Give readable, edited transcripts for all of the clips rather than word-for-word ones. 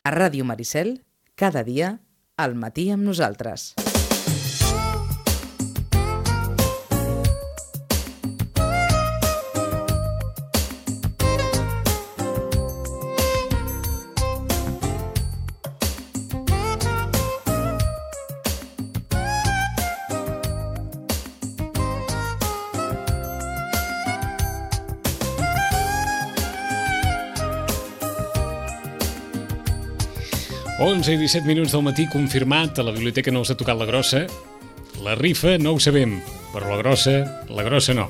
A Ràdio Maricel, cada dia, al matí amb nosaltres. Onze i 17 minuts del matí, confirmat, a la biblioteca no els ha tocat la grossa. La rifa no ho sabem, però la grossa no.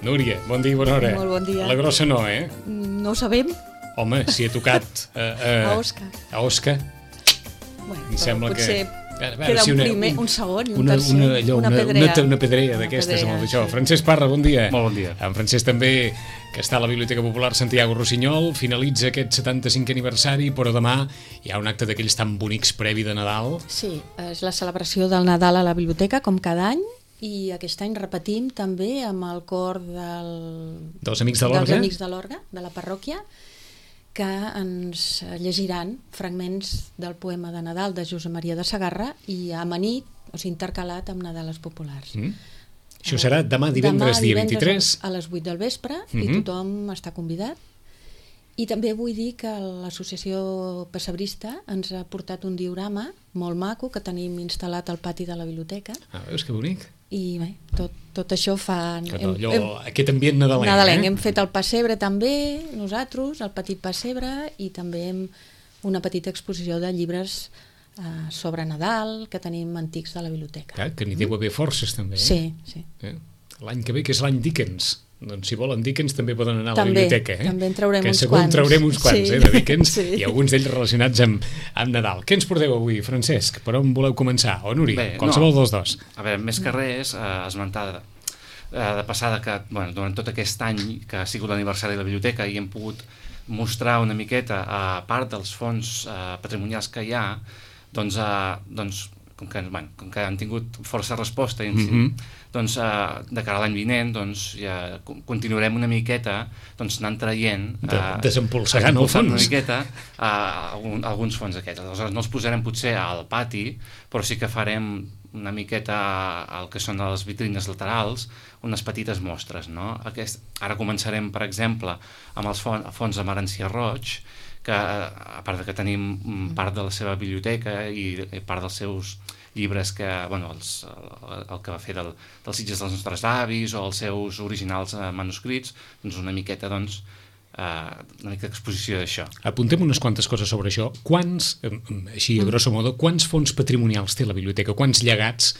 Núria, bon dia i bona hora. Molt bon dia. La grossa no, eh? No ho sabem. Home, si ha tocat A Òscar. A Òscar, Bueno, em sembla potser que... queda un primer, un segon i un tercer. Una pedrea d'aquestes amb el d'això. Sí. Francesc Parra, bon dia. Molt bon dia. En Francesc també, que està a la Biblioteca Popular Santiago Rossinyol, finalitza aquest 75è aniversari, però demà hi ha un acte d'aquells tan bonics previ de Nadal. Sí, és la celebració del Nadal a la biblioteca, com cada any, i aquest any repetim també amb el cor Dels Amics de l'Orga. dels Amics de l'Orga, de la parròquia, que ens llegiran fragments del poema de Nadal de Josep Maria de Sagarra i amanit, o sigui, intercalat amb Nadales populars. Això serà demà divendres, dia 23. A les 8 del vespre, i tothom està convidat. I també vull dir que l'associació pessebrista ens ha portat un diorama molt maco que tenim instal·lat al pati de la biblioteca. Veus que bonic? I bé, tot això fa... Aquest ambient nadalenc. Nadalenc. Hem fet el pessebre també, nosaltres, el petit pessebre, i també una petita exposició de llibres sobre Nadal que tenim antics de la biblioteca. Clar, que n'hi deu haver forces també. Sí. L'any que ve, que és l'any Dickens. Doncs si volen Dickens també poden anar a la També, biblioteca. també en traurem uns quants. Que segur en traurem uns quants, Sí. de Dickens, Sí. i alguns d'ells relacionats amb Nadal. Què ens porteu avui, Francesc? Per on voleu començar? O Nuri? Bé, Qualsevol dels dos. A veure, més que res, esmentar de passada que durant tot aquest any que ha sigut l'aniversari de la biblioteca i hem pogut mostrar una miqueta, a part dels fons patrimonials que hi ha, doncs com que han tingut força resposta, doncs de cara a l'any vinent ja continuarem una miqueta anant traient, desempolsegant el fons una miqueta alguns fons aquests. Aleshores no els posarem potser al pati, però sí que farem una miqueta el que són les vitrines laterals, unes petites mostres, no? Ara començarem, per exemple, amb els fons de Marencià Roig, que a part de que tenim part de la seva biblioteca i part dels seus llibres que, el que va fer dels Sitges dels nostres avis o els seus originals manuscrits, doncs una miqueta d'exposició d'això. Apuntem unes quantes coses sobre això. Quants, així a grosso modo, quants fons patrimonials té la biblioteca? Quants llegats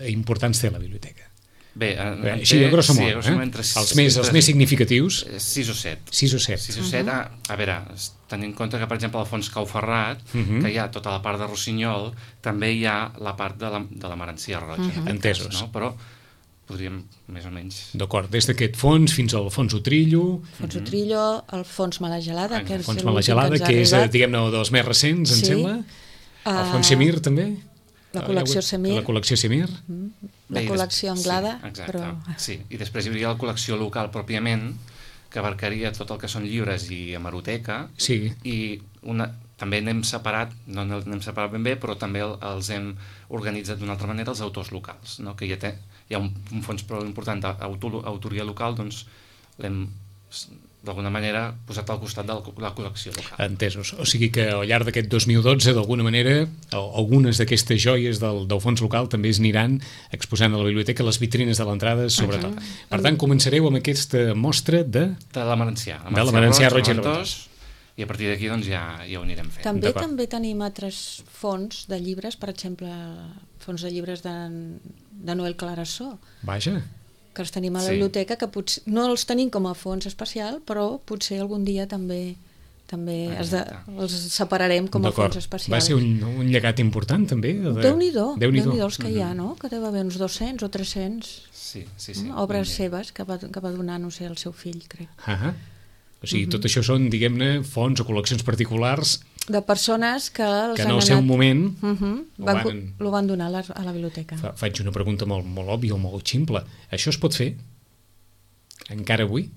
importants té la biblioteca? Bé, així a grosso modo, els més significatius. 6 o 7. 6 o 7. 6 o 7, a veure, tenint en compte que, per exemple, al fons Cau Ferrat, que hi ha tota la part de Rossinyol, també hi ha la part de la Marencià Roig. Entesos. No? Però podríem, més o menys... D'acord, des d'aquest fons fins al fons Utrillo. Fons Utrillo, el fons Mala Gelada, que és l'últim que és, diguem-ne, dels més recents, em sembla. El fons Semir, també. La col·lecció Semir. La col·lecció Semir. La col·lecció Anglada. Sí, exacte. Sí, i després hi hauria la col·lecció local pròpiament, que abarcaria tot el que són llibres i hemeroteca. Sí. I també n'hem separat, no n'hem separat ben bé, però també els hem organitzat d'una altra manera els autors locals, no? Que hi ha un fons prou important d'autoria local, doncs l'hem d'alguna manera posat al costat de la col·lecció local. Entesos. O sigui que al llarg d'aquest 2012, d'alguna manera, algunes d'aquestes joies del fons local també es aniran exposant a la biblioteca, les vitrines de l'entrada, sobretot. Per tant, començareu amb aquesta mostra de la Marencià. De la Marencià Roig i Reventós. I a partir d'aquí ja ho anirem fent. També tenim altres fons de llibres, per exemple, fons de llibres de Noel Clarasó. Vaja. Que els tenim a la biblioteca, que potser no els tenim com a fons especial, però potser algun dia també els separarem com a fons especial. Va ser un llegat important, també? Déu-n'hi-do els que hi ha, no? Que deu haver uns 200 o 300 obres seves que va donar, no sé, el seu fill, crec. O sigui, tot això són, diguem-ne, fons o col·leccions particulars de persones que en el seu moment lo van donar a la biblioteca. Faig una pregunta molt òbvia o molt ximple. Això es pot fer? Encara avui?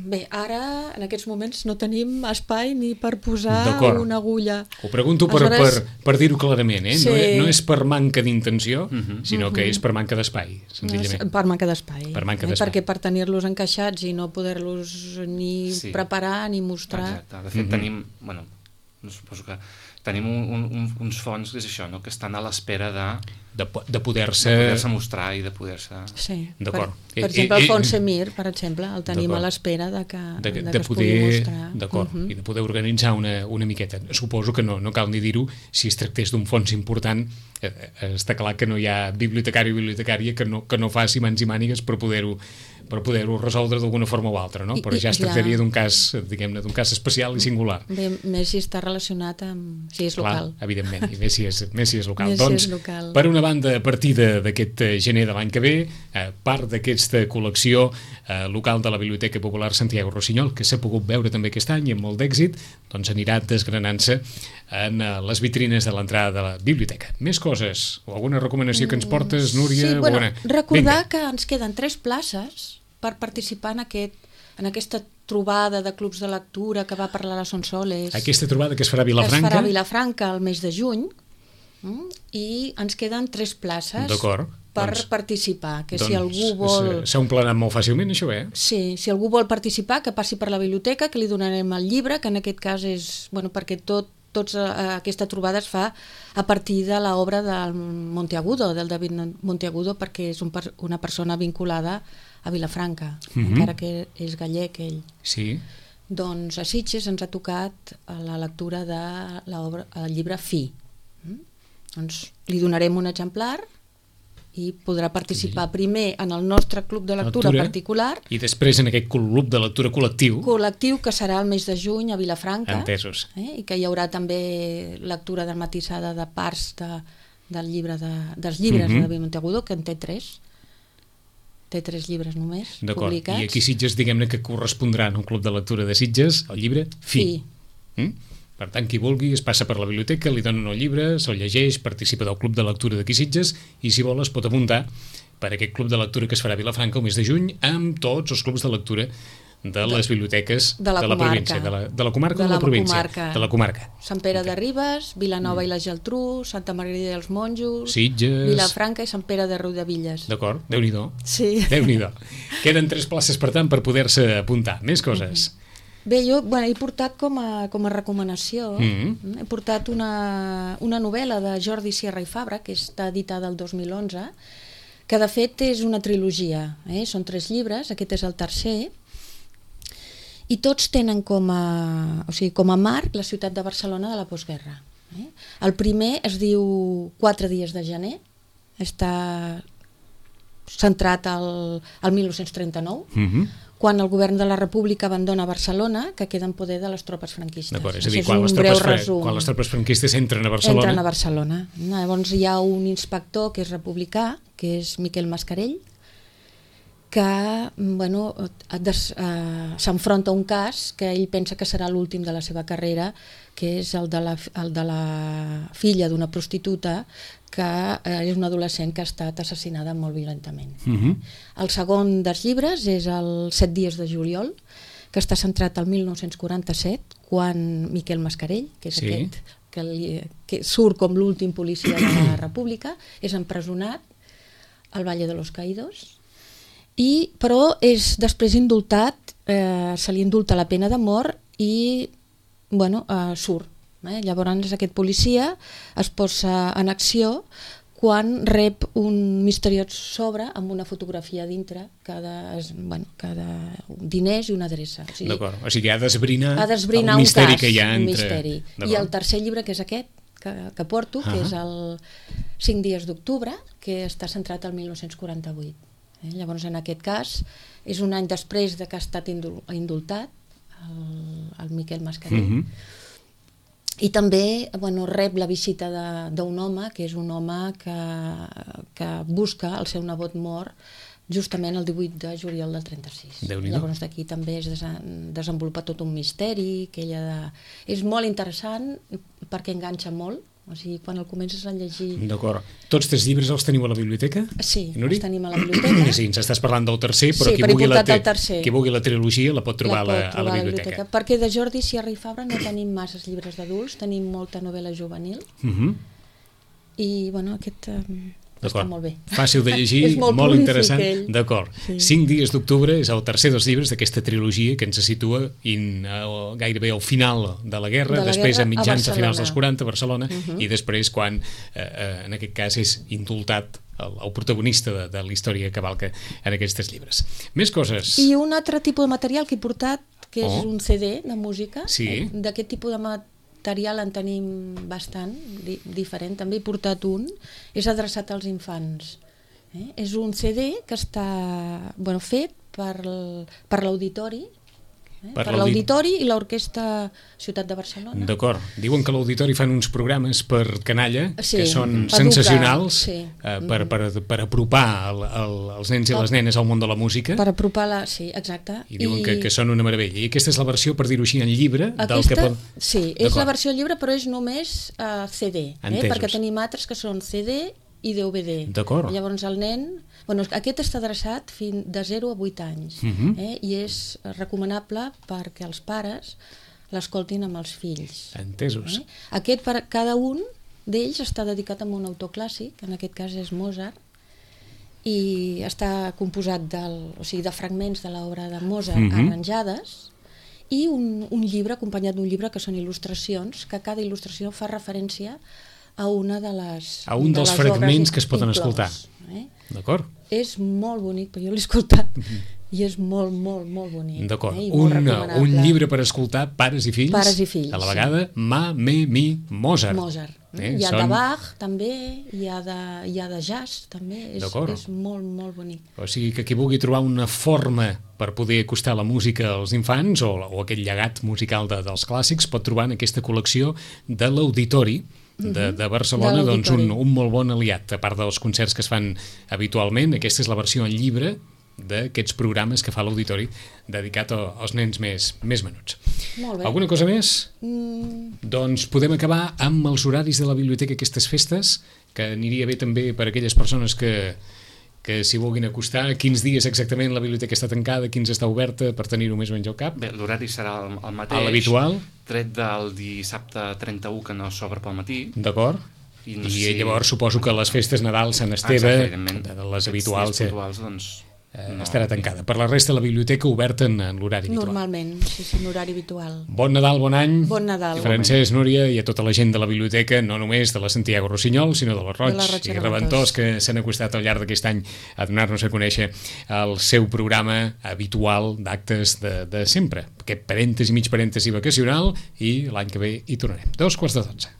Bé, ara, en aquests moments, no tenim espai ni per posar D'acord. una agulla. Ho pregunto per dir-ho clarament, Sí. No és per manca d'intenció, sinó que és per manca d'espai, senzillament. Per manca d'espai. Per manca d'espai. Perquè per tenir-los encaixats i no poder-los ni preparar ni mostrar... Exacte. De fet, tenim... Bueno, suposo que tenim uns fons que és això, no? Que estan a l'espera de poder-se mostrar i de poder-se... Sí. D'acord. Per exemple, el fons Semir, per exemple, el tenim a l'espera de que es pugui mostrar. D'acord, i de poder organitzar una miqueta. Suposo que no cal ni dir-ho, si es tractés d'un fons important, està clar que no hi ha bibliotecari o bibliotecària que no faci mans i mànigues per poder-ho resoldre d'alguna forma o altra, no? Però ja es tractaria d'un cas, diguem-ne, d'un cas especial i singular. Bé, més si està relacionat amb... si és local. Clar, evidentment, i més si és local. Més doncs, si és local. Per una banda, a partir d'aquest gener de l'any que ve, part d'aquesta col·lecció local de la Biblioteca Popular Santiago Rossinyol, que s'ha pogut veure també aquest any i amb molt d'èxit, doncs anirà desgranant-se en les vitrines de l'entrada de la biblioteca. Més coses, o alguna recomanació que ens portes, Núria? Sí, bueno, recordar que ens queden 3 places per participar en aquesta trobada de clubs de lectura que va parlar la Sonsoles. Aquesta trobada que es farà a Vilafranca. Que es farà a Vilafranca el mes de juny, i ens queden 3 places per participar. Que si algú vol... S'ha omplert molt fàcilment, això, Sí, si algú vol participar, que passi per la biblioteca, que li donarem el llibre, que en aquest cas és... Bueno, perquè aquesta trobada es fa a partir de l'obra del Monteagudo, del David Monteagudo, perquè és una persona vinculada a Vilafranca, encara que és gallec ell. Sí. Doncs a Sitges ens ha tocat la lectura del llibre Fi. Doncs li donarem un exemplar i podrà participar primer en el nostre club de lectura particular i després en aquest club de lectura col·lectiu que serà el mes de juny a Vilafranca. Entesos. I que hi haurà també lectura dramatitzada de parts dels llibres de David Monteagudo, que en té 3. Té 3 llibres només publicats. I aquí Sitges, diguem-ne que correspondrà en un club de lectura de Sitges el llibre Fi. Per tant, qui vulgui es passa per la biblioteca, li donen el llibre, se'l llegeix, participa del club de lectura d'aquí Sitges i, si vol, es pot apuntar per aquest club de lectura que es farà a Vilafranca el mes de juny amb tots els clubs de lectura de les biblioteques de la província. De la comarca o de la província? De la comarca. Sant Pere de Ribes, Vilanova i la Geltrú, Santa Margarida dels Monjos, Sitges, Vilafranca i Sant Pere de Riudebitlles. D'acord, Déu-n'hi-do. Sí. Déu-n'hi-do. Queden 3 places, per tant, per poder-se apuntar. Més coses. Bé, jo he portat com a recomanació, he portat una novel·la de Jordi Sierra i Fabra, que està editada el 2011, que de fet és una trilogia. Són 3 llibres, aquest és el tercer, i tots tenen com a marc la ciutat de Barcelona de la postguerra. El primer es diu 4 dies de gener, està centrat al 1939, quan el govern de la República abandona Barcelona, que queda en poder de les tropes franquistes. D'acord, és a dir, quan les tropes franquistes entren a Barcelona... Entren a Barcelona. Llavors hi ha un inspector que és republicà, que és Miquel Mascarell, que s'enfronta a un cas que ell pensa que serà l'últim de la seva carrera, que és el de la filla d'una prostituta que és una adolescent que ha estat assassinada molt violentament. El segon dels llibres és el 7 dies de juliol, que està centrat al 1947, quan Miquel Mascarell, que és aquest que surt com l'últim policia de la República, és empresonat al Valle de los Caídos, però és després indultat, se li indulta la pena de mort i surt. Llavors aquest policia es posa en acció quan rep un misteriós sobre amb una fotografia dintre, cada diners i una adreça. D'acord, o sigui, ha d'esbrinar el misteri que hi ha entre... misteri. I el tercer llibre, que és aquest, que porto, que és el 5 dies d'octubre, que està centrat al 1948. Llavors, en aquest cas, és un any després que ha estat indultat el Miquel Mascarell. I també rep la visita d'un home, que és un home que busca el seu nebot mort justament el 18 de juliol del 36. Llavors d'aquí també es desenvolupa tot un misteri, és molt interessant perquè enganxa molt, O sigui, quan el comences a llegir... D'acord. Tots 3 llibres els teniu a la biblioteca? Sí, Nuri? els tenim a la biblioteca. Sí, ens estàs parlant del tercer, però Sí, qui però he vulgui, portat el tercer. qui vulgui la trilogia la pot trobar, La pot a trobar la biblioteca. Perquè de Jordi Sierra i Fabra no tenim masses llibres d'adults, tenim molta novel·la juvenil, i bueno, aquest està molt bé. Fàcil de llegir, És molt molt prolífic, interessant. ell. D'acord. Sí. 5 dies d'octubre és el tercer dels llibres d'aquesta trilogia que ens situa gairebé al final de la guerra, després a mitjans a finals dels 40 a Barcelona, i després quan, en aquest cas, és indultat el protagonista de la història que cavalca en aquests 3 llibres. Més coses. I un altre tipus de material que he portat, que és un CD de música. Sí. D'aquest tipus de material en tenim bastant, diferent. També he portat un, és adreçat als infants. És un CD que està fet per l'auditori, per l'auditori i l'Orquestra Ciutat de Barcelona. D'acord. Diuen que a l'auditori fan uns programes per canalla que són educar, sensacionals per per apropar els nens i les nenes al món de la música. Per apropar-la, sí, exacte. I diuen que són una meravella. I aquesta és la versió, per dir-ho així, en llibre del que pot... Sí, és la versió llibre, però és només CD, perquè tenim altres que són CD i DVD. D'acord. Llavors el nen... Aquest està adreçat de 0 a 8 anys i és recomanable perquè els pares l'escoltin amb els fills. Entesos. Aquest, per cada un d'ells, està dedicat a un autor clàssic, en aquest cas és Mozart, i està composat de fragments de l'obra de Mozart arranjades, i un llibre, acompanyat d'un llibre que són il·lustracions, que cada il·lustració fa referència a una de les a un dels fragments que es poden escoltar. D'acord. És molt bonic, perquè jo l'he escoltat i és molt, molt, molt bonic. D'acord. Un llibre per escoltar pares i fills, a la vegada, Mozart. Mozart. Hi ha de Bach, també, hi ha de jazz, també, és molt, molt bonic. O sigui que qui vulgui trobar una forma per poder acostar la música als infants o aquest llegat musical dels clàssics pot trobar en aquesta col·lecció de l'Auditori de Barcelona, doncs un molt bon aliat, a part dels concerts que es fan habitualment. Aquesta és la versió en llibre d'aquests programes que fa l'Auditori dedicat als nens més menuts. Molt bé. Alguna cosa més? Doncs podem acabar amb els horaris de la biblioteca aquestes festes, que aniria bé també per a aquelles persones que s'hi vulguin acostar. Quins dies exactament la biblioteca està tancada, quins està oberta, per tenir-ho més o menys al cap? Bé, l'horari serà el mateix. A l'habitual? Tret del dissabte 31, que no s'obre pel matí. D'acord. I llavors suposo que les festes Nadal, Sant Esteve, de les habituals, doncs estarà tancada. Per la resta, la biblioteca oberta en l'horari habitual. Normalment, sí, en horari habitual. Bon Nadal, bon any. Bon Nadal. Francesc, Núria, i a tota la gent de la biblioteca, no només de la Santiago Rossinyol, sinó de la Roig i Reventós, que s'han acostat al llarg d'aquest any a donar-nos a conèixer el seu programa habitual d'actes de sempre. Aquest parèntesi, mig parèntesi vacacional, i l'any que ve hi tornarem. 11:45.